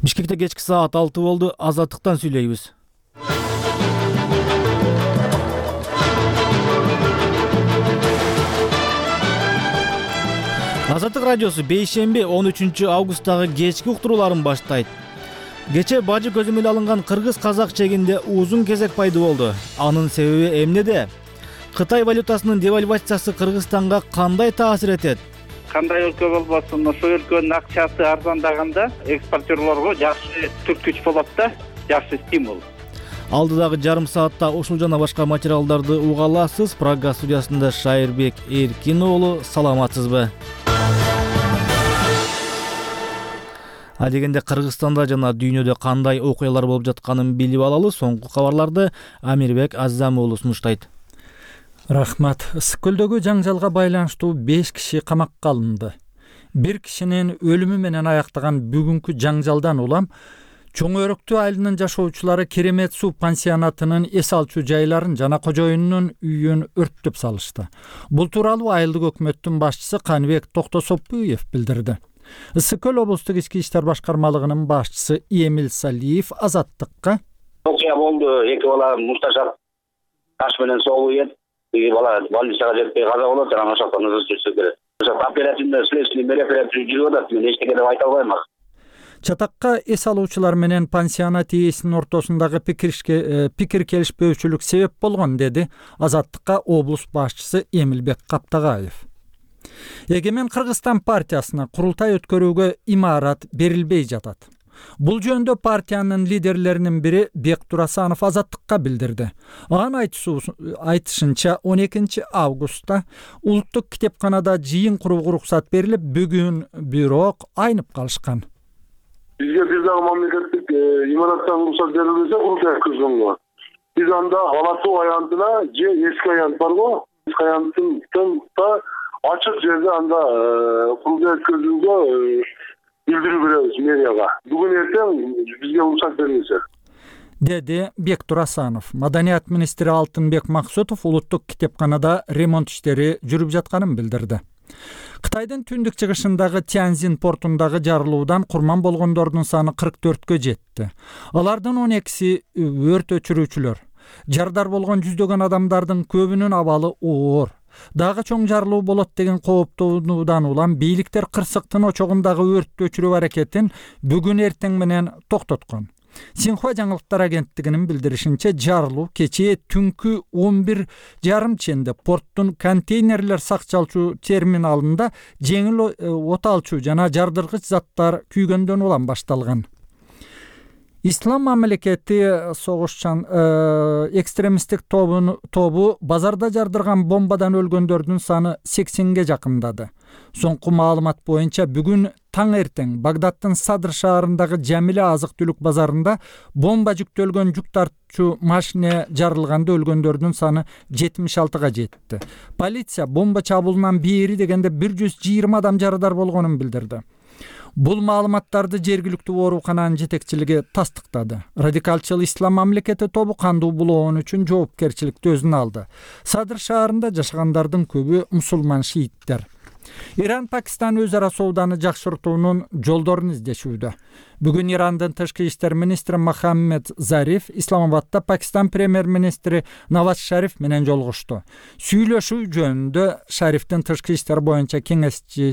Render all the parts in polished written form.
Бишкекте кечки саат 6 болду. Азаттыктан сүйлөйбүз. Азаттык радиосу бейшемби 13 августтагы кечки уктурууларын баштайт. Кече бажы көзөмөл алынган кыргыз-казак чегинде узун кезек пайда болду. Анын себеби эмнеде? Кытай валютасынын девальвациясы Кыргызстанга кандай таасир этет? Кандай өлкө болбосун, ошол өлкөнүн акчасы арзандаганда экспортерлорго жакшы түрткүч болот да, жакшы стимул. Алдыдагы жарым саатта ушул жана башка материалдарды уга аласыз. Программа студиясында Шайырбек Эркин уулу. Саламатсызбы? Адегенде Кыргызстанда жана дүйнөдө кандай окуялар болуп жатканын билип алалы. Соңку кабарларды Амирбек Азам уулу сунуштайт. Рахмат. Ысык көлдөгү жаңжалга байланыштуу 5 киши камакка алынды. Бир кишинин өлүмү менен аяктаган бүгүнкү жаңжалдан улам Чоң Өрөктүү айылынын жашоочулары Керемет суу пансионатынын эс алчу жайларын жана кожоюнунун үйүн өрттөп салышты. Бул тууралуу айылдык өкмөттүн башчысы Каныбек Токтосопуев билдирди. Ысык көл облустук ички иштер башкармалыгынын башчысы Эмил Салиев Азаттыкка: окуя болду. 2 бала мушташап таш менен согуу ет. Бала больницага жетпей каза болот, жана ошоктон жүрсө керек. Ошо оперативный следственный мероприятие жүрүп атат. Мен эчтеке деп айта албайм. Чатакка эс алуучулар менен пансионат ээсинин ортосундагы пикир келишпөөчүлүк себеп болгон, деди Азаттыкка облус башчысы Эмилбек Каптагаев. Эгемен Кыргызстан партиясына курултай өткөрүүгө имарат берилбей жатат. Бул жөнүндө партиянын лидерлеринин бири Бектур Асанов Азаттыкка билдирди. Анын айтышынча 12 августта улуттук китепканада жыйын курууга уруксат берилип, бүгүн бирок айнып калышкан. Бизге бир дагы мамлекеттик имараттан уруксат берилбесе курултай өткөзгөнгө. Биз анда Алатуу аянтына же эски аянт барго, эски аянтта ачык жерде анда курултай өткөзүүгө билдирүү беребиз мэрияга. Бүгүн эртең бизге уруксат берилсе, деди Бектур Асанов. Маданият министри Алтынбек Максутов улуттук китепканада ремонт иштери жүрүп жатканын билдирди. Кытайдын түндүк чыгышындагы Тяньзин портундагы жарылуудан курман болгондордун саны 44кө жетти. Алардын 12си өрт өчүрүүчүлөр. Жардар болгон жүздөгөн адамдардын көбүнүн абалы оор. Дагы чоң жарылуу болот деген кооптонуудан улам бийликтер кырсыктын очогундагы өрттү өчүрүү аракетин бүгүн эртең менен токтоткон. Синхуа жаңылыктар агенттигинин билдиришинче, жарылуу кечээ түнкү 11:30 ченде порттун контейнерлер сакчалчу терминалында жеңил от алчу жана жардыргыч заттар күйгөндөн улам башталган. Ислам мамлекети согушчан экстремисттик тобу базарда жардырган бомбадан өлгөндөрдүн саны 80ге жакындады. Соңку маалымат боюнча бүгүн таң эртең Багдаддын Садр шаарындагы Жамиле азык-түлүк базарында бомба жүктөлгөн жүк тартчу машина жарылганда өлгөндөрдүн саны 76га жетти. Полиция бомба чабуулунан бери дегенде 120 адам жарадар болгонун билдирди. Бул маалыматтарды жергиликтүү оорукананын жетекчилиги тастыктады. Радикалчыл Ислам мамлекети тобу кандуу булоон үчүн жоопкерчиликти өзүнө алды. Садр шаарында жашагандардын көбү мусулман шииттер. Иран Пакистан өз ара сооданы жакшыртуунун жолдорун издешүүдө. Бүгүн Ирандын тышкы иштер министри Мохаммед Зариф Исламабадда Пакистан премьер-министри Наваз Шариф менен жолугушту. Сүйлөшүү жөнүндө Шарифтин тышкы иштер боюнча кеңешчиси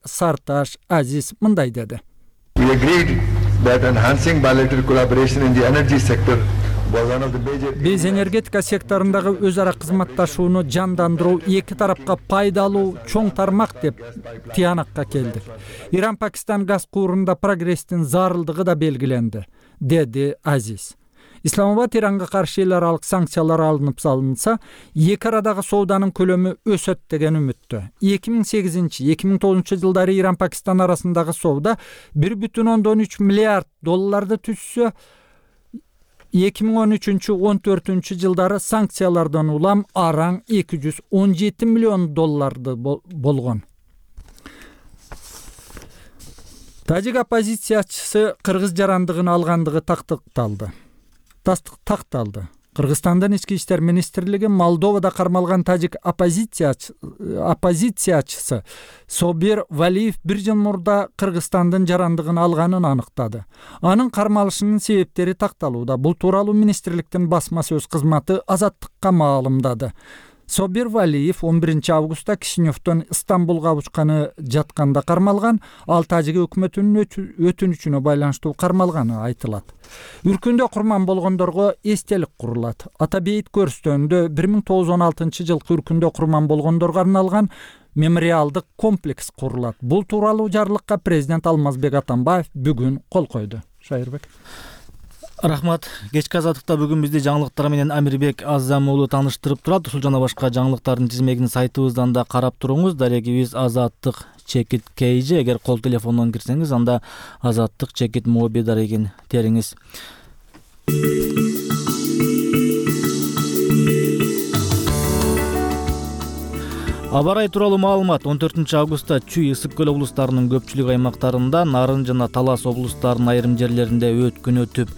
Сарташ Азиз мындай деди: We agreed that enhancing bilateral collaboration in the energy sector Биз энергетика секторундагы өз ара кызматташууну жандандыруу эки тарапка пайдалуу чоң тармак деп тыянакка келдик. Иран Пакистан газ куурунда прогресстин зарылдыгы да белгиленди, деди Азиз. Исламабад Иранга каршы эл аралык санкциялар алынып салынса, эки арадагы сооданын көлөмү өсөт деген үмүттө. 2008-2009 жылдары Иран Пакистан арасындагы соода 1,3 миллиард долларды түзсө, 2013-14 жылдары санкциялардан улам араң 217 миллион долларды болгон. Тажик оппозициячысы кыргыз жарандыгын алгандыгы такталды. Кыргызстандын ички иштер министрлиги Молдовада кармалган тажик оппозициячысы Собир Валиев 1 жыл мурда Кыргызстандын жарандыгын алганын аныктады. Анын кармалышынын себептери такталууда. Бул тууралуу министрликтин басма сөз кызматы Азаттыкка маалымдады. Собир Валиев 11 августта Кишиневден Стамбулга учканы жатканда кармалган, ал тажик өкмөтүнүн өтүнүчүнө байланыштуу кармалганы айтылат. Үркүндө курман болгондорго эстелик курулат. Ата бейит көрүстөндө 1916 жылкы үркүндө курман болгондорго арналган мемориалдык комплекс курулат. Бул тууралуу жарлыкка президент Алмазбек Атамбаев бүгүн кол койду. Шайырбек. Рахмат. Кечки азаттыкта бүгүн бизди жаңылыктар менен Амирбек Азам уулу тааныштырып турат. Ушул жана башка жаңылыктардын тизмегин сайтыбыздан да карап туруңуз. Дарегибиз azаттык.kj. Эгер кол телефондон кирсеңиз, анда azаттык.mobi дарегин териңиз. Аба ырайы тууралуу маалымат. 14 августта Чүй, Ысык көл облустарынын көпчүлүк аймактарында, Нарын жана Талас облустарынын айрым жерлеринде өткүн өтүп,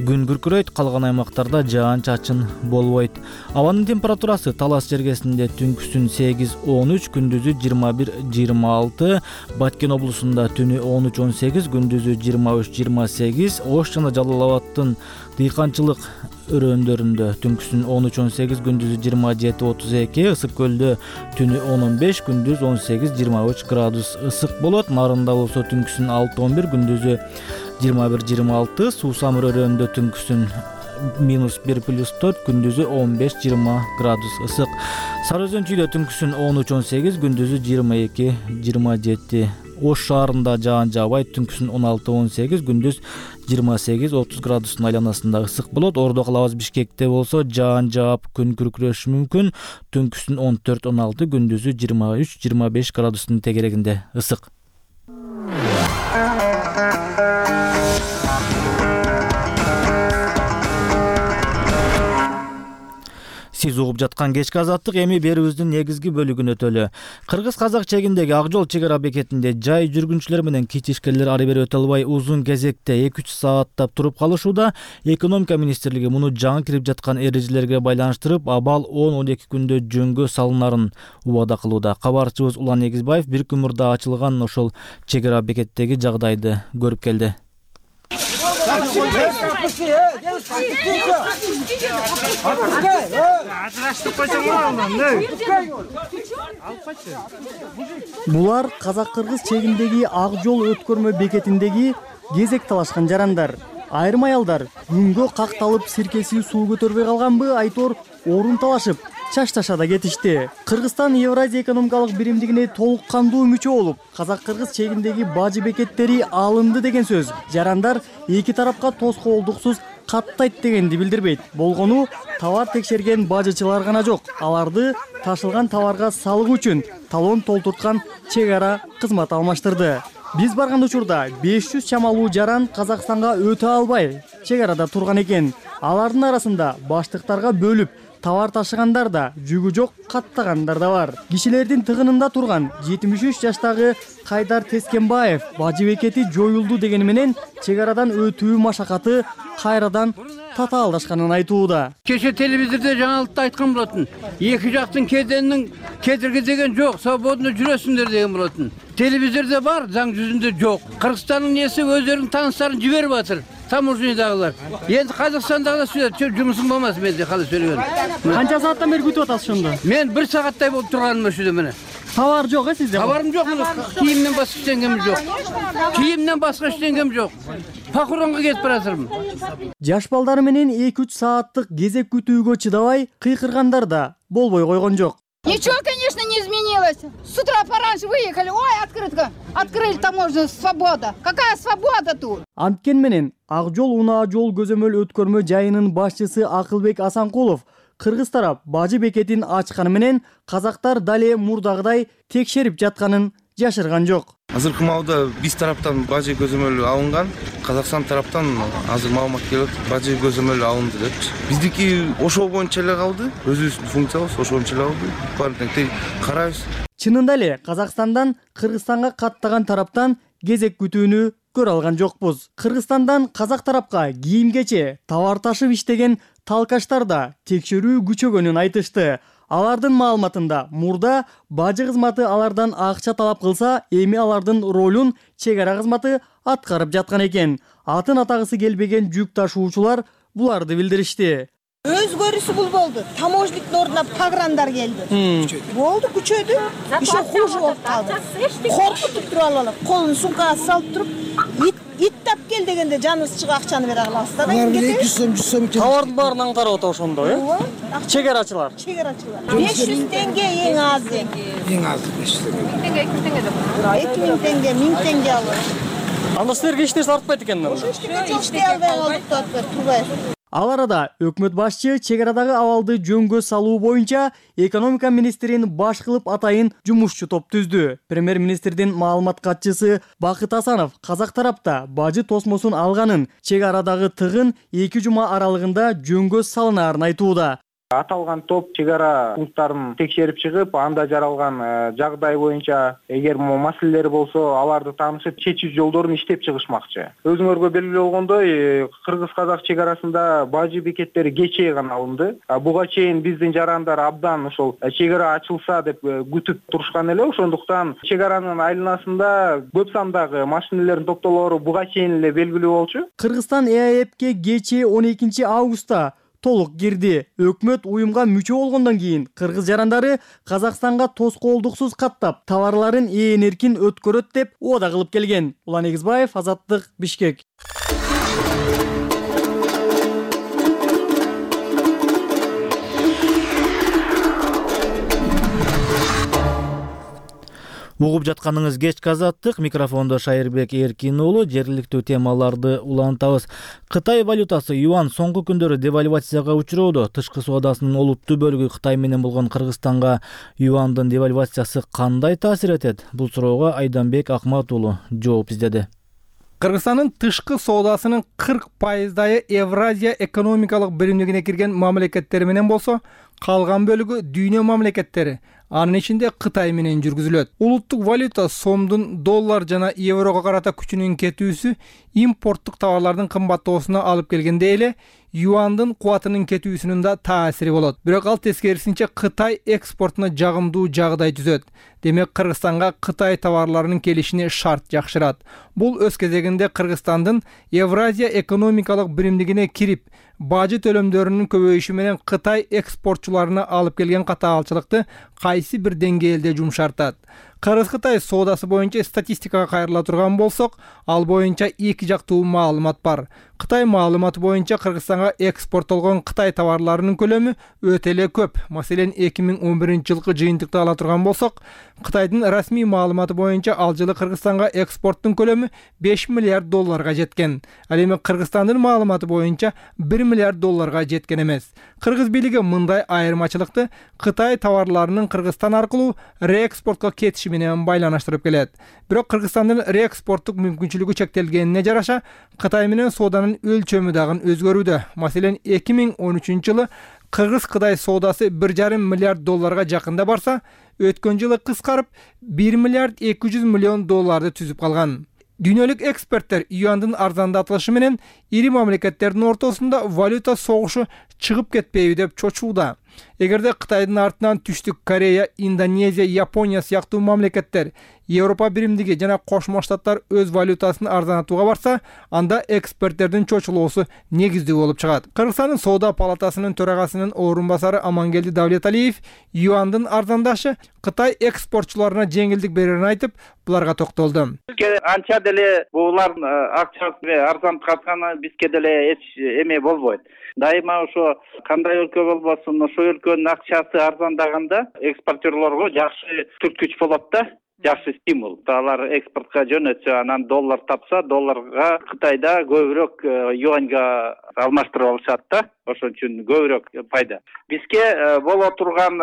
күн күркүрөйт, калган аймактарда жаан-чачын болбойт. Абанын температурасы Талас жергесинде түнкүсүн 8-13, күндүзү 21-26, Баткен облусунда түнү 13-18, күндүзү 23-28, Ош жана Жалал Абадтын дыйканчылык өрөөндөрүндө түнкүсүн 13-18, күндүзү 27-32, Ысык көлдө түнү 10-15, күндүз 18-23 градус ысык болот. Нарында болсо түнкүсүн 6-11, күндүзү 21-26, Суусамыр өрөөндө түнкүсүн -1+4, күндүзү 15-20 градус ысык. Сары Өзөн Чүйдө түнкүсүн 13-18, күндүзү 22-27. Ош шаарында жаан жаабайт, түнкүсүн 16-18, күндүз 28-30 градустун айланасында ысык болот. Ордо калабыз Бишкекте болсо жаан жаап, күн күркүрөшү мүмкүн, түнкүсүн 14-16, күндүзү 23-25 градустун тегерегинде ысык. Сиз угуп жаткан кечки азаттык эми берүүбүздүн негизги бөлүгүн өтөлү. Кыргыз-казак чегиндеги Ак жол чек ара бекетинде жай жүргүнчүлөр менен кичи ишкерлер ары бери өтө албай узун кезекте 2-3 сааттап туруп калышууда. Экономика министрлиги муну жаңы кирип жаткан эрежелерге байланыштырып, абал 10-12 күндө жөнгө салынарын убада кылууда. Кабарчыбыз Улан Эгизбаев бир күн мурда ачылган ошол чек ара бекеттеги жагдайды көрүп келди. Булар казак-кыргыз чегиндеги Ак жол өткөрмө бекетиндеги кезек талашкан жарандар. Айрым аялдар күнгө какталып сиркеси суу көтөрбөй калганбы айтор орун талашып чашташада кетишти. Кыргызстан Евразия экономикалык биримдигине толук кандуу мүчө болуп, казак-кыргыз чегиндеги бажы бекеттери алынды деген сөз жарандар эки тарапка тоскоолдуксуз каттайт дегенди билдирбейт. Болгону товар текшерген бажычылар гана жок. Аларды ташылган товарга салык үчүн талон толтурткан чек ара кызмат алмаштырды. Биз барган учурда 500 чамалуу жаран Казакстанга өтө албай чек арада турган экен. Алардын арасында баштыктарга бөлүп товар ташыгандар да, жүгү жок каттагандар да бар. Кишилердин тыгынында турган 73 жаштагы Кайдар Тескенбаев бажы бекети жоюлду дегени менен чек арадан өтүү машакаты кайрадан татаалдашканын айтууда. Кеше телевизордо жаңылыкта айткан болотун. Эки жактын кеденин кедерги деген жок, свободно жүрөсүңдөр деген болотун. Телевизордо бар, заң жүзүндө жок. Кыргызстандын несі өздөрүнүн тааныштарын жиберип атыр. Таможнядагылар. Енді Қазақстандагылар сөйлөп, жумусум болмас менде калай сөйлөгөн. Канча сааттан бери күтүп атасыз ошондо? Мен 1 сааттай болуп турганым ошондо мына. Товар жок сизде? Товарым жок, кийимден башка эчтеңем жок. Кийимден башка эчтеңем жок. Похоронго кетип баратырмын. Жаш балдары менен 2-3 сааттык кезек күтүүгө чыдабай кыйкыргандар да болбой койгон жок. Ничего, конечно, не изменилось. С утра пораньше выехали. Ой, открытка. Открыли таможню, свобода. Какая свобода тут? Анткени менен Ак жол унаа жол көзөмөл өткөрмө жайынын башчысы Акылбек Асанкулов кыргыз тарап бажы бекетин ачканы менен казактар дале мурдагыдай текшерип жатканын жашырган жок. Азыркы маалда биз тараптан бажы көзөмөлү алынган, Казакстан тараптан азыр маалымат келет, бажы көзөмөлү алынды депчи. Биздики ошол боюнча эле калды, өзүбүздүн функциябыз ошол боюнча эле калды. Баарын карайбыз. Чынында эле Казакстандан Кыргызстанга каттаган тараптан кезек күтүүнү көрө алган жокпуз. Кыргызстандан казак тарапка кийим-кече, товар ташып иштеген талкаштар да текшерүү күчөгөнүн айтышты. Алардын маалыматында мурда бажы кызматы алардан акча талап кылса, эми алардын ролун чек ара кызматы аткарып жаткан экен. Атын атагысы келбеген жүк ташуучулар буларды билдиришти. Өзгөрүүсү бул болду. Таможниктин ордуна пограндар келди. Болду, күчөдү. Еще хуже болуп калды. Коркутуп туруп алып, колун сумкага салып туруп, ит тап кел дегенде жаныбыз чыга акчаны бере калабыз да. 200 сом. Товардын баарын аңтарып атат ошондо, Чегарачылар. 500 теңге эң азы. Эң азы 500 теңге. 2000 теңге, 1000 теңге алып. Анда силерге эч нерсе артпайт экен. Эч албай калдык да, турбай. Ал арада өкмөт башчы чек арадагы абалды жөнгө салуу боюнча экономика министрин баш кылып атайын жумушчу топ түздү. Премьер-министрдин маалымат катчысы Бакыт Асанов казак тарапта бажы тосмосун алганын, чек арадагы тыгын 2 жума аралыгында жөнгө салынаарын айтууда. Аталган топ чек ара пункттарын текшерип чыгып, анда жаралган жагдай боюнча эгер маселелер болсо, аларды таанышып, чечүү жолдорун иштеп чыгышмакчы. Өзүңөргө белгилүү болгондой, кыргыз-казак чек арасында бажы бекеттери кечээ гана алынды. Буга чейин биздин жарандар абдан ошол чек ара ачылса деп күтүп турушкан эле. Ошондуктан чек аранын айланасында көп сандагы машиналердин топтолоору буга чейин эле белгилүү болчу. Кыргызстан ЭАЭПке кечээ 12 августта толук кирди. Өкмөт уюмга мүчө болгондон кийин кыргыз жарандары Казакстанга тоскоолдуксуз каттап, товарларын эркин өткөрөт деп ода кылып келген. Улан Эгизбаев, Азаттык, Бишкек. Угуп жатканыңыз кечки Азаттык, микрофондо Шайырбек Эркин уулу. Жергиликтүү темаларды улантабыз. Кытай валютасы юан соңку күндөрү девальвацияга учуроодо. Тышкы соодасынын олуттуу бөлүгү Кытай менен болгон Кыргызстанга юандын девальвациясы кандай таасир этет? Бул суроого Айданбек Акмат уулу жооп издеди. Кыргызстандын тышкы соодасынын 40% Евразия экономикалык биримдигине кирген мамлекеттер менен болсо, калган бөлүгү дүйнө мамлекеттери, анын ичинде Кытай менен жүргүзүлөт. Улуттук валюта сомдун доллар жана еврого карата күчүнүн кетүүсү импорттук товарлардын кымбаттоосуна алып келгенде эле юандын кубатынын кетүүсүнүн да таасири болот. Бирок ал тескерисинче Кытай экспортуна жагымдуу жагдай түзөт. Демек Кыргызстанга Кытай товарларынын келишине шарт жакшырат. Бул өз кезегинде Кыргызстандын Евразия экономикалык биримдигине кирип, бажы төлөмдөрүнүн көбөйүшү менен Кытай экспортчуларына алып келген катаалчылыкты кайсы бир деңгээлде жумшартат. Кыргыз-Кытай соодасы боюнча статистикага кайрыла турган болсок, ал боюнча эки жактуу маалымат бар. Кытай маалыматы боюнча Кыргызстанга экспорттолгон Кытай товарларынын көлөмү өтө эле көп. Маселен, 2011-жылкы жыйынтыкты ала турган болсок, Кытайдын расмий маалыматы боюнча ал жылы Кыргызстанга экспорттун көлөмү 5 миллиард долларга жеткен. Ал эми Кыргызстандын маалыматы боюнча 1 миллиард долларга жеткен эмес. Кыргыз бийлиги мындай айырмачылыкты Кытай товарларынын Кыргызстан аркылуу реэкспортко кетиши менен байланыштырып келет. Бирок Кыргызстандын реэкспорттук мүмкүнчүлүгү чектелгенине жараша, Кытай менен сооданын өлчөмү дагы өзгөрүүдө. Маселен, 2013-жылы Кыргыз-Кытай соодасы 1,5 миллиард долларга жакында барса, өткөн жылы кыскарып 1 миллиард 200 миллион долларды түзүп калган. Дүйнөлүк эксперттер юандын арзандатылышы менен ири мамлекеттердин ортосунда валюта согушу чыгып кетпейби деп чочууда. Эгерде Кытайдын артынан Түштүк Корея, Индонезия, Япония сыяктуу мамлекеттер, Европа биримдиги жана Кошмо Штаттар өз валютасын арзанатууга барса, анда эксперттердин чочулоосу негиздүү болуп чыгат. Кыргызстандын Соода палатасынын төрагасынын орун басары Амангелди Давлеталиев юандын арзандашы Кытай экспортчуларына жеңилдик берерин айтып, буларга токтолду. Анча деле булардын акчасы арзантканы бизге деле эч эме болбойт. Дайыма ошо кандай өлкө болбосун, ошо өлкөнүн акчасы арзандаганда экспортерлорго жакшы түрткүч болот да, жакшы стимул. Алар экспортко жөнөтсө, анан доллар тапса, долларга Кытайда көбүрөөк юаньга алмаштырып алышат да. Ошон үчүн көбүрөөк пайда. Бизге боло турган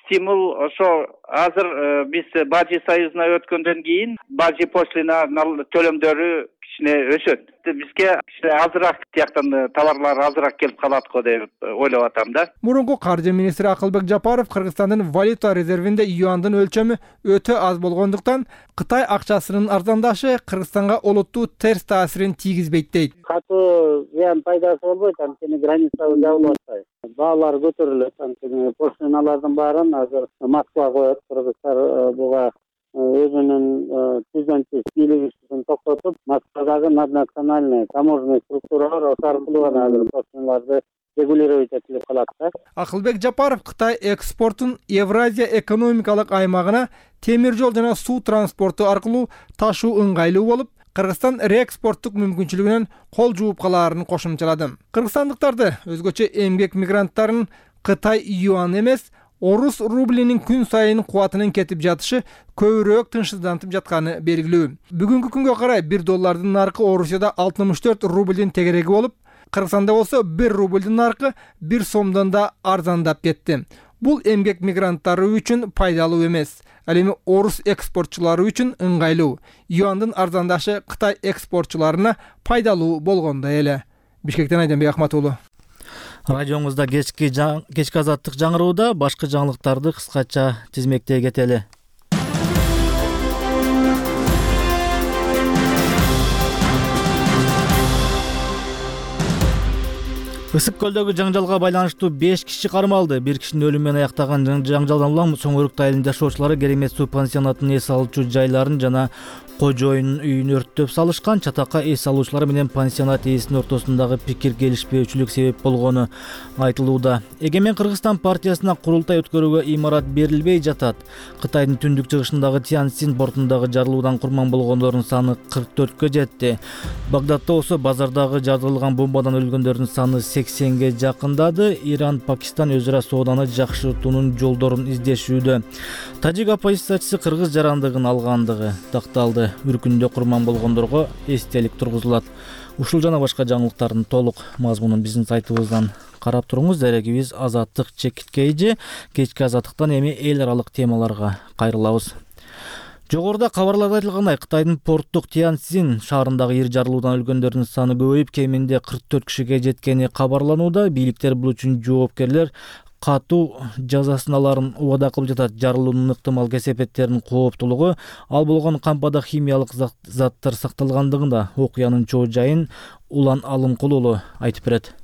стимул ошо азыр биз Бажы союзуна өткөндөн кийин Бажы пошлина төлөмдөрү кичине өсөт. Бизге кичине азыраак тияктан товарлар азыраак келип калат го деп ойлоп атам да. Мурунку каржы министри Акылбек Жапаров Кыргызстандын валюта резервинде юандын өлчөмү өтө аз болгондуктан Кытай акчасынын арзандашы Кыргызстанга олуттуу терс таасирин тийгизбейт дейт. Катуу зыян пайдасы болбойт, анткени границабыз жабылып атпайт. Баалар көтөрүлөт, анткени пошлиналардын баарын азыр Москва коет. Кыргызстан буга өзүнүн тизден тиз бийлигин токтотуп, Москвадагы наднациональный таможенный структуралар ошол аркылуу гана азыр пошлиналарды регулировать этилип калат да. Акылбек Жапаров Кытай экспортун Евразия экономикалык аймагына темир жол жана суу транспорту аркылуу ташуу ыңгайлуу болуп, Кыргызстан реэкспорттук мүмкүнчүлүгүнөн кол жууп калаарын кошумчалады. Кыргызстандыктарды өзгөчө эмгек мигранттарын Кытай юан эмес, орус рублинин күн сайын кубатынын кетип жатышы көбүрөөк тынчсыздантып жатканы белгилүү. Бүгүнкү күнгө карай $1 наркы Орусияда 64 рублдин тегереги болуп, Кыргызстанда болсо 1 рублдин наркы 1 сомдон да арзандап кетти. Бул эмгек мигранттары үчүн пайдалуу эмес, ал эми орус экспортчулары үчүн ыңгайлуу. Юандын арзандашы Кытай экспортчуларына пайдалуу болгондой эле. Бишкектен Айданбек Ахматуулу. Радиоңузда кечки азаттык жаңырууда башка жаңылыктарды кыскача тизмектей кетели. Ысык көлдөгү жаңжалга байланыштуу 5 киши кармалды. Бир кишинин өлүмү менен аяктаган жаңжалдан улам Соңөрүк айылынын жашоочулары Керемет суу пансионатынын эс алуучу жайларын жана кожоюнун үйүн өрттөп салышкан. Чатакка эс алуучулар менен пансионат ээсинин ортосундагы пикир келишпөөчүлүк себеп болгону айтылууда. Эгемен Кыргызстан партиясына курултай өткөрүүгө имарат берилбей жатат. Кытайдын түндүк чыгышындагы Тяньцзин портундагы жарылуудан курман болгондордун саны 44кө жетти. Багдадда болсо базардагы жарылган бомбадан өлгөндөрдүн саны 80ге жакындады. Иран, Пакистан өзү ара сооданы жакшыртуунун жолдорун издешүүдө. Тажик оппозициячысы кыргыз жарандыгын алгандыгы такталды. Үркүндө курман болгондорго эстелик тургузулат. Ушул жана башка жаңылыктардын толук мазмунун биздин сайтыбыздан карап туруңуз. Дарегибиз Азаттык чекиткейжи. Кечки азаттыктан эми эл аралык темаларга кайрылабыз. Жогоруда кабарларда айтылгандай, Кытайдын порттук Тяньцзин шаарындагы ир жарылуудан өлгөндөрдүн саны көбөйүп, кеминде 44 кишиге жеткени кабарланууда. Бийликтер бул үчүн жооптор катуу жазасын аларын убада кылып жатат. Жарылуунун ыктымал кесепеттеринин кооптуулугу, ал болгон кампада химиялык заттар сакталгандыгында окуянын чоо жайын Улан Алымкул уулу айтып берет.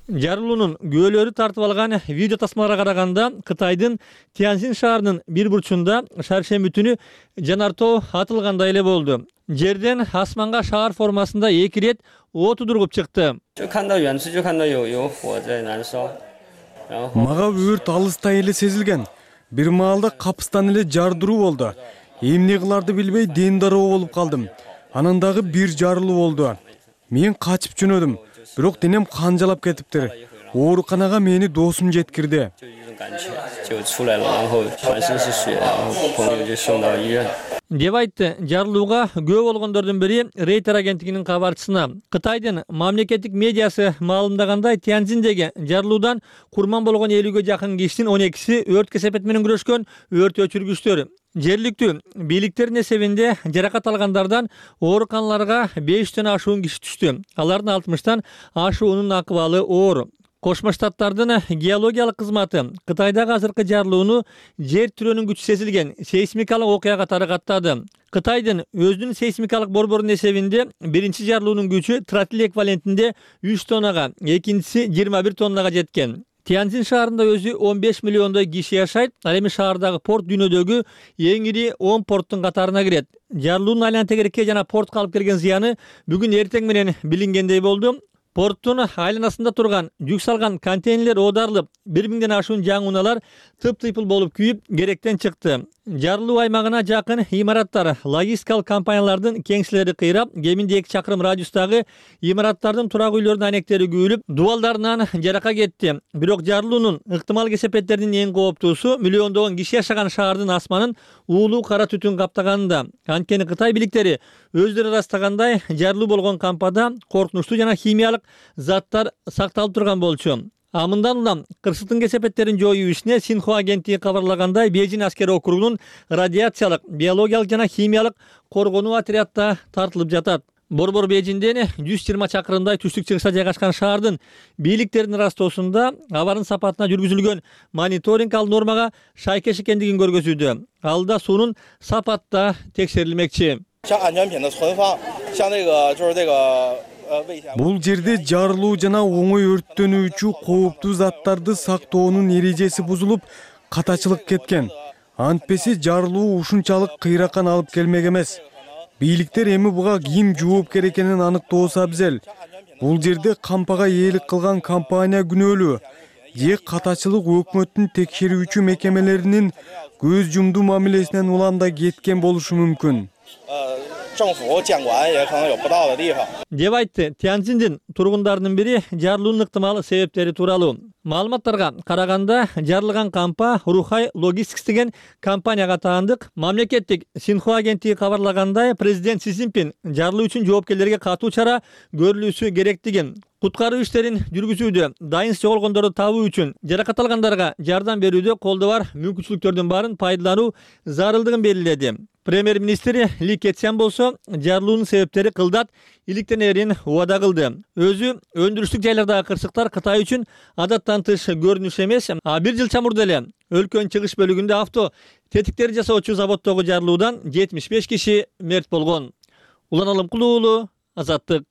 Жарылуунун күбөлөрү тартып алган видео тасмаларга караганда Кытайдын Тяньцзин шаарынын бир бурчунда шаршемби түнү жанартоо атылгандай эле болду. Жерден асманга шаар формасында 2 рет от удургуп чыкты. Мага өрт алыстай эле сезилген. Бир маалда капыстан эле жардыруу болду. Эмне кыларды билбей ден дароо болуп калдым. Анан дагы бир жарылуу болду. Мен качып жөнөдүм. Бирок денем канжалап кетиптир. Ооруканага мени досум жеткирди. деп айтты жарылууга күбө болгондордун бири Рейтер агенттигинин кабарчысына. Кытайдын мамлекеттик медиасы маалымдагандай, Тяньцзиндеги жарылуудан курман болгон 50ге жакын кишинин 12си өрт кесепети менен күрөшкөн өрт өчүргүчтөр. Жергиликтүү бийликтердин эсебинде жаракат алгандардан ооруканаларга 5тен ашуун киши түштү. Алардын 60тан ашуунун акыбалы оор. Кошмо Штаттардын геологиялык кызматы Кытайдагы азыркы жарылууну жер тирөөнүн күчү сезилген сейсмикалык окуя катары каттады. Кытайдын өзүнүн сейсмикалык борборунун эсебинде биринчи жарылуунун күчү тротил эквивалентинде 3 тоннага, экинчиси 21 тоннага жеткен. Тяньцзин шаарында өзү 15 миллиондой киши жашайт. Ал эми шаардагы порт дүйнөдөгү эң ири 10 порттун катарына кирет. Жарылуунун айлана тегерекке жана портко алып келген зыяны бүгүн эртең менен билингендей болду. Порттун айланасында турган жүк салган контейнерлер оодарылып, 1000ден ашуун жаңуналар тып-тыйпыл болуп күйүп, керектен чыкты. Жарылуу аймагына жакын имараттар, логистикалык компаниялардын кеңселери кыйрап, кеминде 2 чакырым радиустагы имараттардын турак үйлөрүнүн анектери күйүлүп, дубалдарынан жарака кетти. Бирок жарылуунун ыктымал кесепеттеринин эң кооптуусу миллиондогон киши жашаган шаардын асманын уулуу кара түтүн каптаганында. Анткени Кытай бийликтери өздөрү ырастагандай, жарылуу болгон кампада коркунучтуу жана химиялык заттар сакталып турган болчу. Мындан улам кырсыктын кесепеттерин жоюу ишине Синхуа агенттиги кабарлагандай, Бейжин аскери округунун радиациялык, биологиялык жана химиялык коргонуу отрядта тартылып жатат. Борбор Бейжиңден 120 чакырымдай түштүк-чыгышта жайгашкан шаардын бийликтеринин ырастоосунда абардын сапатына жүргүзүлгөн мониторинг ал нормага шайкеш экендигин көргөзүүдө. Алда суунун сапатта текшерилмекчи. Бул жерде жарылуу жана оңой өрттөнүүчү кооптуу заттарды сактоонун эрежеси бузулуп, катачылык кеткен. Антпесе жарылуу ушунчалык кыйраккан алып келмек эмес. Бийликтер эми буга ким жоопкер экенин аныктоосу абзел. Бул жерде кампага ээлик кылган компания күнөөлүү. Же катачылык өкмөттүн текшерүүчү мекемелеринин көз жумдуу мамилесинен улам да кеткен болушу мүмкүн. деп айтты Тяньцзиндин тургундарынын бири жарылуунун ыктымал себептери тууралуу. Маалыматтарга караганда жарылган кампа Рухай Логистикс деген компанияга таандык. Мамлекеттик Синхуа агенттиги кабарлагандай, президент Си Цзиньпин жарылуу үчүн жоопкерлерге катуу чара көрүлүүсү керектигин, куткаруу иштерин жүргүзүүдө, дайынсыз жоголгондорду табуу үчүн жаракат алгандарга жардам берүүдө колдо бар мүмкүнчүлүктөрдүн баарын пайдалануу зарылдыгын белгиледи. Премьер-министр Ли Кэцян болсо жарылуунун себептери кылдат иликтенерин убада кылды. Өзү өндүрүштүк жайлардагы кырсыктар Кытай үчүн адаттан тыш көрүнүш эмес. Бир жыл чамурда эле өлкөнүн чыгыш бөлүгүндө авто тетиктер жасоочу заводдогу жарылуудан 75 киши мерт болгон. Улан Алымкулуу уулу, Азаттык.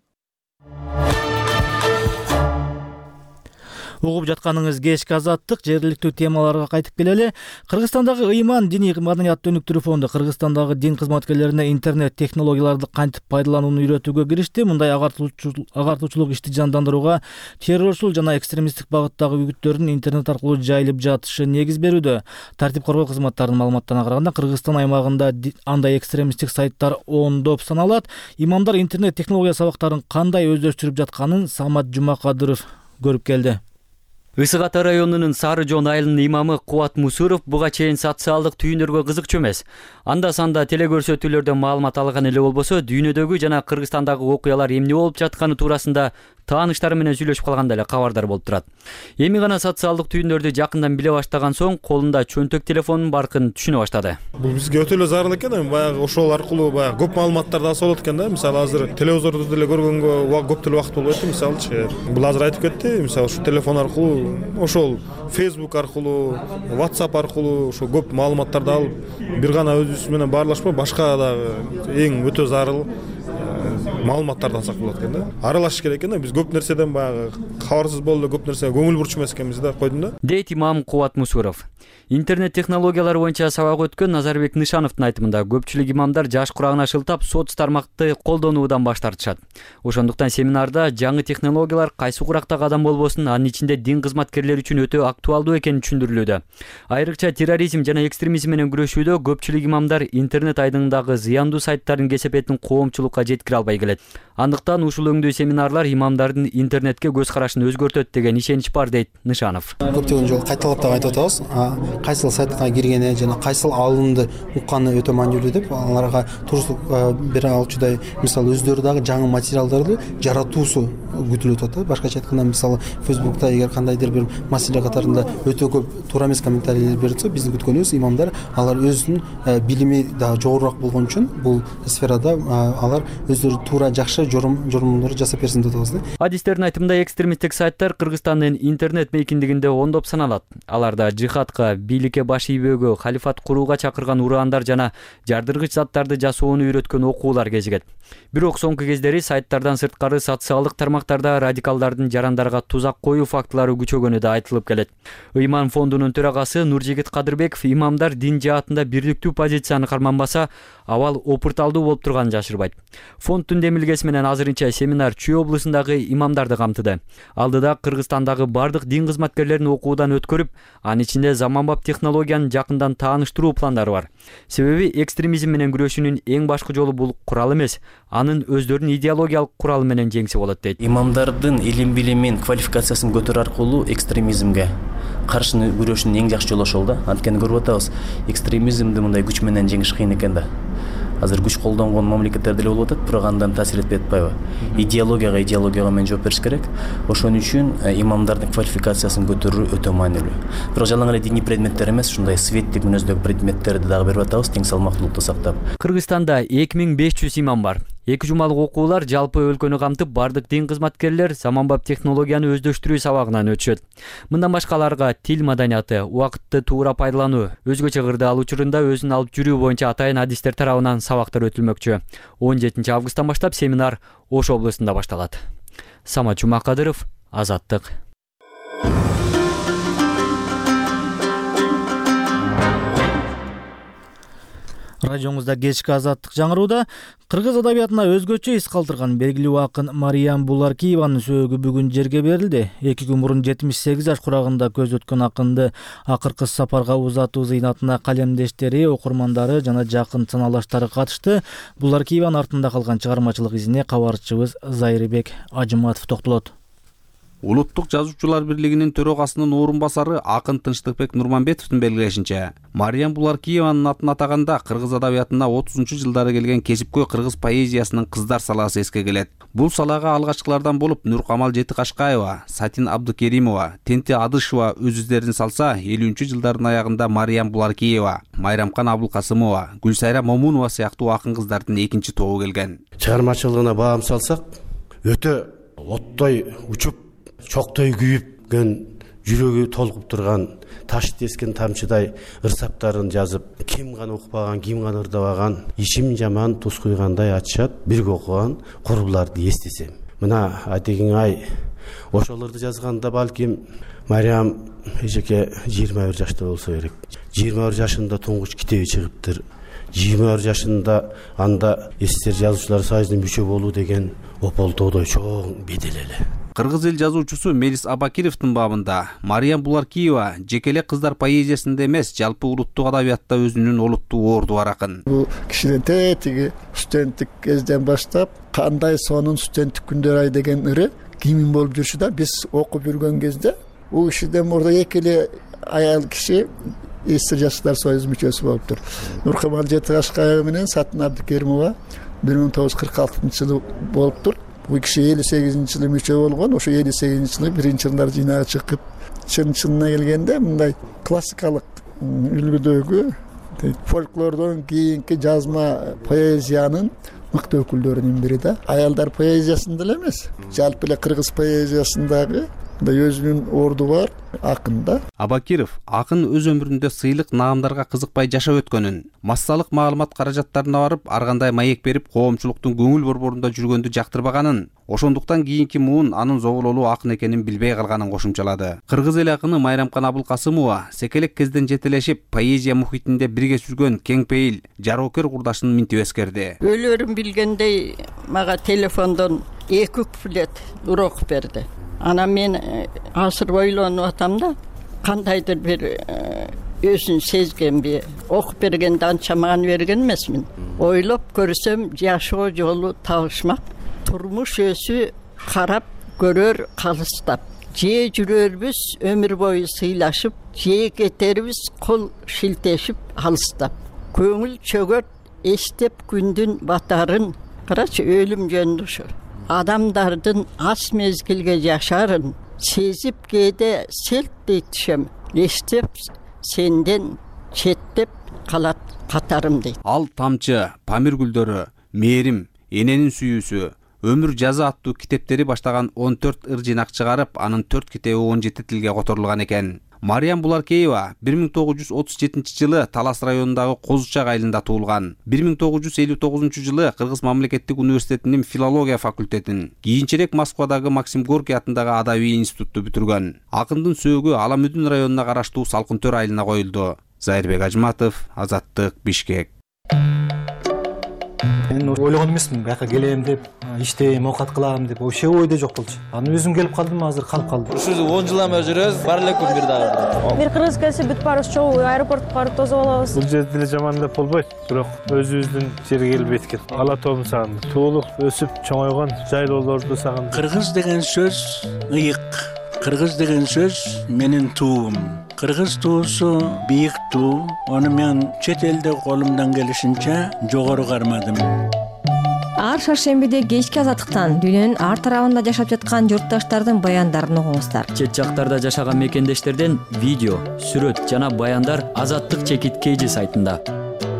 Угуп жатканыңыз кечки Азаттык. Жергиликтүү темаларга кайтып келели. Кыргызстандагы ыйман диний маданият өнүктүрүү фонду Кыргызстандагы дин кызматкерлерине интернет технологияларды кантип пайдаланууну үйрөтүүгө киришти. Мындай агартуучулук ишти жандандырууга террорчул жана экстремисттик багыттагы үгүттөрдүн интернет аркылуу жайылып жатышы негиз берүүдө. Тартип коргоо кызматтарынын маалыматтарына караганда, Кыргызстан аймагында андай экстремисттик сайттар ондоп саналат. Имамдар интернет технология сабактарын кандай өздөштүрүп жатканын Самат Жумакадыров көрүп келди. Ысык Ата районунун Сары Жоон айылынын имамы Кубат Мусуров буга чейин социалдык түйүндөргө кызыкчу эмес. Анда-санда телекөрсөтүүлөрдөн маалымат алган эле болбосо, дүйнөдөгү жана Кыргызстандагы окуялар эмне болуп жатканы туурасында тааныштары менен сүйлөшүп калганда эле кабардар болуп турат. Эми гана социалдык түйүндөрдү жакындан биле баштаган соң, колунда чөнтөк телефонунун баркын түшүнө баштады. Бул бизге өтө эле зарыл экен, эми баягы ошол аркылуу баягы көп маалыматтарды алса болот экен да. Мисалы азыр телевизорду деле көргөнгө көп деле убакыт болбойт, мисалычы. Бул азыр айтып кетти, мисалы ушу телефон аркылуу, ошол Facebook аркылуу, WhatsApp аркылуу ошо көп маалыматтарды алып, бир гана өзүбүз менен баарлашпай, башка дагы эң өтө зарыл маалыматтарды алсак болот экен да. Аралашыш керек экен да. Биз көп нерседен баягы кабарсыз болуп, көп нерсеге көңүл бурчу эмес экенбиз да, койдум да. Дейт имам Кубат Мусуров. Интернет технологиялары боюнча сабак өткөн Назарбек Нышановдун айтымында, көпчүлүк имамдар жаш курагына шылтап соц тармакты колдонуудан баш тартышат. Ошондуктан семинарда жаңы технологиялар кайсы куракта кадам болбосун, анын ичинде дин кызматкерлери үчүн өтө актуалдуу экени түшүндүрүлүүдө. Айрыкча терроризм жана экстремизм менен күрөшүүдө көпчүлүк имамдар интернет айдыңындагы зыяндуу сайттардын кесепетин коомчулукка жеткире албай келет. Андыктан ушул өңдүү семинарлар имамдардын интернетке көз карашын өзгөртөт деген ишенич бар, дейт Нышанов. Көптөгөн жолу кайталап да айтып атабыз. Кайсыл сайтка киргени жана кайсыл алымды укканы өтө маанилүү деп, аларга туруктук бере алчудай, мисалы өздөрү дагы жаңы материалдарды жаратуусу күтүлүп атат. Башкача айтканда, мисалы Facebook'та эгер кандайдыр бир маселе катарында өтө көп туура эмес комментарийлер берилсе, биздин күткөнүбүз имамдар алар өзүнүн билими да жогорураак болгон үчүн бул сферада алар өздөрү туура жакшы жормундарды жасап берсин деп атабыз да. Адистердин айтымында, экстремисттик сайттар Кыргызстандын интернет мейкиндигинде ондоп саналат. Аларда жихадка, бийликке баш ийбөөгө, халифат курууга чакырган ураандар жана жардыргыч заттарды жасоону үйрөткөн окуулар кезигет. Бирок соңку кездери сайттардан сырткары социалдык тармактарда радикалдардын жарандарга тузак коюу фактылары күчөгөнү да айтылып келет. Ыйман фондунун төрагасы Нуржигит Кадырбеков имамдар дин жаатында бирликтүү позицияны карманбаса, абал опурталдуу болуп турганын жашырбайт. Фонддун демилгеси менен азырынча семинар Чүй облусундагы имамдарды камтыды. Алдыда Кыргызстандагы бардык дин кызматкерлерин окуудан өткөрүп, анын ичинде заманбап технологияны жакындан тааныштыруу пландары бар. Себеби экстремизм менен күрөшүүнүн эң башкы жолу бул курал эмес, анын өздөрүнүн идеологиялык куралы менен жеңсе болот, дейт. Имамдардын илим билимин, квалификациясын көтөрүү аркылуу экстремизмге каршы күрөшүүнүн эң жакшы жолу ошол да. Анткени көрүп атабыз, экстремизмди мындай күч менен жеңиш кыйын экен да. Азыр күч колдонгон мамлекеттер деле болуп атат, бирок андан таасир этпей атпайбы? Идеологияга менен жооп бериш керек. Ошон үчүн имамдардын квалификациясын көтөрүү өтө маанилүү. Бирок жалаң эле диний предметтер эмес, ушундай светтик мүнөздөгү предметтерди дагы берип атабыз, тең салмактуулукту сактап. Кыргызстанда 2500 имам бар. 2 жумалык окуулар жалпы өлкөнү камтып бардык дин кызматкерлер заманбап технологияны өздөштүрүү сабагынан өтүшөт. Мындан башка аларга тил маданияты, убакытты туура пайдалануу, өзгөчө кырдаал учурунда өзүн алып жүрүү боюнча атайын адистер тарабынан сабактар өтүлмөкчү. 17 августтан баштап семинар Ош облусунда башталат. Самат Жумакадыров, Азаттык. Радиоңузда кечки Азаттык жаңырууда кыргыз адабиятына өзгөчө из калтырган белгилүү акын Мариям Буларкиеванын сөөгү бүгүн жерге берилди. 2 күн мурун 78 жаш курагында көз өткөн акынды акыркы сапарга узатуу зыйнатына калемдештери, окурмандары жана жакын саналаштары катышты. Буларкиеванын артында калган чыгармачылык изине кабарчыбыз Зайырбек Ажыматов токтолот. Улуттук жазуучулар бирлигинин төрагасынын орун басары акын Тынчтыкбек Нурманбетовдун белгилешинче, Мариям Буларкиеванын атын атаганда кыргыз адабиятына 30-жылдары келген кесипкөй кыргыз поэзиясынын кыздар саласы эске келет. Бул салага алгачкылардан болуп Нуркамал Жетикашкаева, Сатин Абдыкеримова, Тенти Адышева өз издерин салса, 50-жылдардын аягында Мариям Буларкиева, Майрамкан Абылкасымова, Гүлсайра Момунова сыяктуу акын кыздардын экинчи тобу келген. Чыгармачылыгына баам салсак, өтө оттой учуп, чоктой күйүпкөн, жүрөгү толкуп турган, таш тескен тамчыдай ырсаптарын жазып, ким гана укпаган, ким гана ырдабаган, ичим жаман туз куйгандай ачышат, бирге окуган курбуларды эстесем. Мына атегиң ай ошолорду жазганда балким Мариям эжеке 21 жашта болсо керек. 21 жашында туңгуч китеби чыгыптыр. 21 жашында анда эстер жазуучулар союзунун мүчө болуу деген ополтоодой чоң бедел эле. Кыргыз эл жазуучусу Мелис Абакировдун бабында Мариям Буларкиева жекеле кыздар поэзиясында эмес, жалпы улуттук адабиятта өзүнүн олуттуу орду бар акын. Бул кишинин тетиги студенттик кезден баштап кандай сонун студенттик күндөр ай деген ыры кимин болуп жүрчү да, биз окуп жүргөн кезде бул кишиден мурда экеле аял киши эстер жаштар союзунун мүчөсү болуптур. Нуркамал Жетикашкаева менен Сатин Абдыкеримова 1946-жылы болуптур. Бул киши 58-жылы мүчө болгон, ошо 58-жылы биринчи жылдар жыйнагы чыгып, чынына келгенде мындай классикалык үлгүдөгү фольклордон кийинки жазма поэзиянын мыкты өкүлдөрүнүн бири да. Аялдар поэзиясында эле эмес, жалпы эле кыргыз поэзиясындагы өзүнүн орду бар акында. Абакиров акын өз өмүрүндө сыйлык наамдарга кызыкпай жашап өткөнүн, массалык маалымат каражаттарына барып, ар кандай маек берип, коомчулуктун көңүл борборунда жүргөндү жактырбаганын, ошондуктан кийинки муун анын зобололуу акын экенин билбей калганын кошумчалады. Кыргыз эл акыны Майрамкан Абылкасымова секелек кезден жетелешип, поэзия мухитинде бирге жүргөн кең пейил, жароокер курдашын минтип эскерди. Өлөрүм билгендей мага телефондон 2 куплет урок берди. Ана мен асыр ойлонуп атам да, кандайдыр бир өзүн сезгенби, окуп бергенде анча маан берген эмесмин. Ойлоп көрсөм, жашоо жолу табышмак, турмуш өсү карап көрөр калыстап. Же жүрөрбүз өмүр бою сыйлашып, же кетербиз кол шилтешип алыстап. Көңүл чөгөт эстеп күндүн батарын, карачы өлүм жөнүндө ошо. Адамдардын аз мезгилге жашарын сезип кээде селт етишем, эстеп сенден четтеп калат катарым дейт. Ал тамчы, Памир гүлдөрү, Мээрим, Эненин сүйүүсү, Өмүр жазы аттуу китептери баштаган 14 ыр жыйнак чыгарып, анын 4 китеби 17 тилге которулган экен. Мариям Буларкиева 1937-жылы Талас районундагы Козучак айылында туулган. 1959-жылы Кыргыз мамлекеттик университетинин филология факультетин, кийинчерээк Москвадагы Максим Горький атындагы адабий институтту бүтүргөн. Акындын сөөгү Аламүдүн районуна караштуу Салкын-Төр айылына коюлду. Зайырбек Ажматов, Азаттык, Бишкек. Мен ойлогон эмесмин, бияка келем деп, иштейм, оокат кылам деп, вообще ойдо жок болчу. Анан өзүм келип калдым, азыр калып калдым. Ушул 10 жылдан бери жүрөбүз, бар эле күн бир дагы. Бир кыргыз келсе бүт баарыбыз чогуу аэропортко барып тосуп алабыз. Бул жерде эле жаман деп болбойт, бирок өзүбүздүн жерге келбейт экен. Ала тообун сагындым. Туулуп, өсүп, чоңойгон жайлоолорду сагындым. Кыргыз деген сөз ыйык. Кыргыз деген сөз менин туум. Кыргыз туусу бийик туу. Аны мен чет элде колумдан келишинче жогору кармадым. Ар шаршембиде кечки Азаттыктан дүйнөнүн ар тарабында жашап жаткан журтташтардын баяндарын угуңуздар. Чет жактарда жашаган мекендештерден видео, сүрөт жана баяндар Азаттык чекит KG сайтында.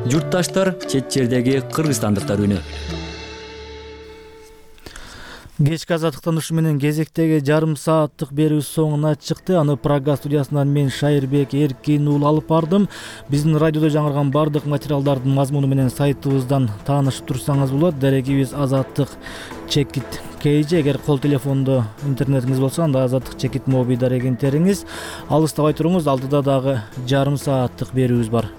Журтташтар чет жердеги кыргызстандыктар үнү. Кечки азаттыктан ушу менен кезектеги жарым сааттык берүүбүз соңуна чыкты. Аны Прага студиясынан мен Шайырбек Эркин уулу алып бардым. Биздин радиодо жаңырган бардык материалдардын мазмуну менен сайтыбыздан таанышып турсаңыз болот. Дарегибиз azattik.kj. Эгер кол телефондо интернетиңиз болсо, анда azattik.mobi дарегин териңиз. Алыстабай туруңуз, алдыда дагы жарым сааттык берүүбүз бар.